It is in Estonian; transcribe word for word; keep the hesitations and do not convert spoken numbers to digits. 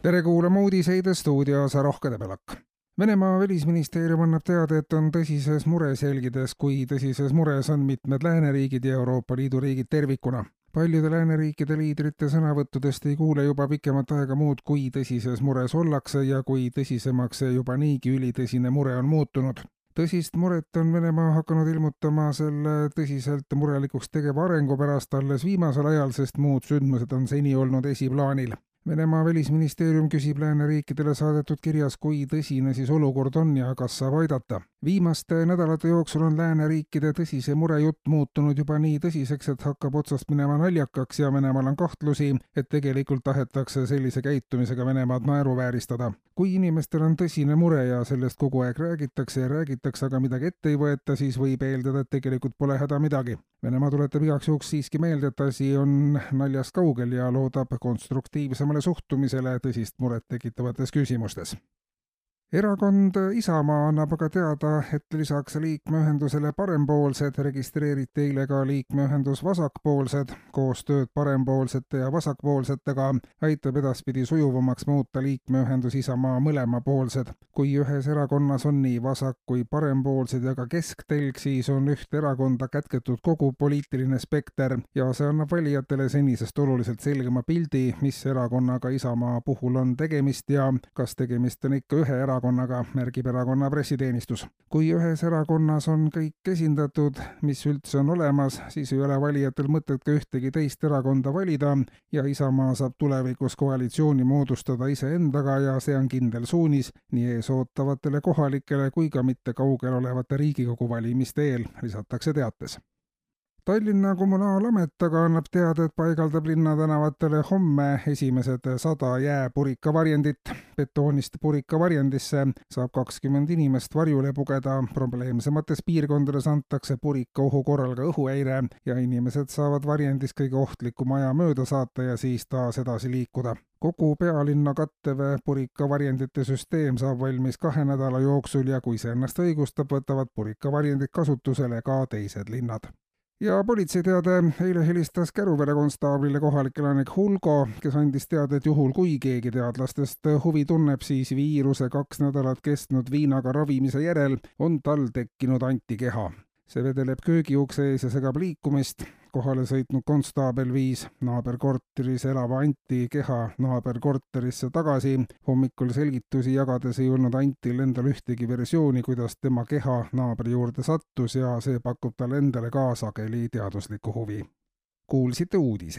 tere kuulama uudiseid stuudios Rohke Debelak. Venemaa välisministeerium annab teada, et on tõsises mures jälgides, kui tõsises mures on mitmed lääneriigid ja Euroopa Liidu riigid tervikuna. Paljude lääneriikide liidrite sõnavõttudest ei kuule juba pikemat aega muud, kui tõsises mures ollakse ja kui tõsisemaks juba niigi ülitõsine mure on muutunud. Tõsist muret on Venemaa hakanud ilmutama selle tõsiselt murelikuks tegeva arengu pärast alles viimasel ajal, sest muud sündmused on seni olnud esiplaanil. Venemaa välisministeerium küsib lääneriikidele saadetud kirjas, kui tõsine siis olukord on ja kas saab aidata. Viimaste nädalate jooksul on lääneriikide tõsise murejutt muutunud juba nii tõsiseks, et hakkab otsast minema naljakaks ja Venemaal on kahtlusi, et tegelikult tahetakse sellise käitumisega Venemaad naeruvääristada. Kui inimestel on tõsine mure ja sellest kogu aeg räägitakse ja räägitakse, aga midagi ette ei võeta, siis võib eeldada, et tegelikult pole häda midagi. Venemaa tuletab igaks juhuks siiski meelde, et asi on naljast kaugel ja loodab konstruktiivsemale suhtumisele tõsist muret tekitavates küsimustes. Erakond Isamaa annab aga teada, et lisaks liikmeühendusele Parempoolsed registreeriti eile ka liikmeühendus Vasakpoolsed. Koostööd parempoolsete ja vasakpoolsetega aitab edaspidi sujuvamaks muuta liikmeühendus Isamaa mõlemapoolsed. Kui ühes erakonnas on nii vasak kui parempoolsed ja ka kesktelg, siis on ühte erakonda kätketud kogu poliitiline spekter ja see annab valijatele senisest oluliselt selgema pildi, mis erakonnaga Isamaa puhul on tegemist ja kas tegemist on ikka ühe erakonnaga. Erakonnaga, märgib erakonna pressiteenistus. Kui ühes erakonnas on kõik esindatud, mis üldse on olemas, siis ei ole valijatel mõtet ka ühtegi teist erakonda valida ja Isamaa saab tulevikus koalitsiooni moodustada iseendaga ja see on kindel suunis nii ees ootavatele kohalikele kui ka mitte kaugel olevate Riigikogu valimiste eel, lisatakse teates. Tallinna kommunaalamet aga annab teada, et paigaldab linnatänavatele homme esimesed sada jääpurikavarjendit. Betoonist purikavarjendisse saab kakskümmend inimest varjule pugeda, probleemsemates piirkondades antakse purika ohu korral ka õhuhäire ja inimesed saavad varjendis kõige ohtlikuma aja mööda saata ja siis taas edasi liikuda. Kogu pealinna kattev purikavarjendite süsteem saab valmis kahe nädala jooksul ja kui see ennast õigustab, võtavad purikavarjendid kasutusele ka teised linnad. Ja politseiteade eile helistas Käruvere konstaablile kohalik elanik Hulgo, kes andis teada, et juhul kui keegi teadlastest huvi tunneb, siis viiruse kaks nädalat kestnud viinaga ravimise järel on tal tekkinud antikeha. See vedeleb köögiukse ees ja segab liikumist. Kohale sõitnud konstaabel viis naaberkorteris elava Anti keha naaberkorterisse tagasi. Hommikul selgitusi jagades ei olnud Antil endal ühtegi versiooni, kuidas tema keha naabri juurde sattus ja see pakub talle endale ka sageli teaduslikku huvi. Kuulsite uudise.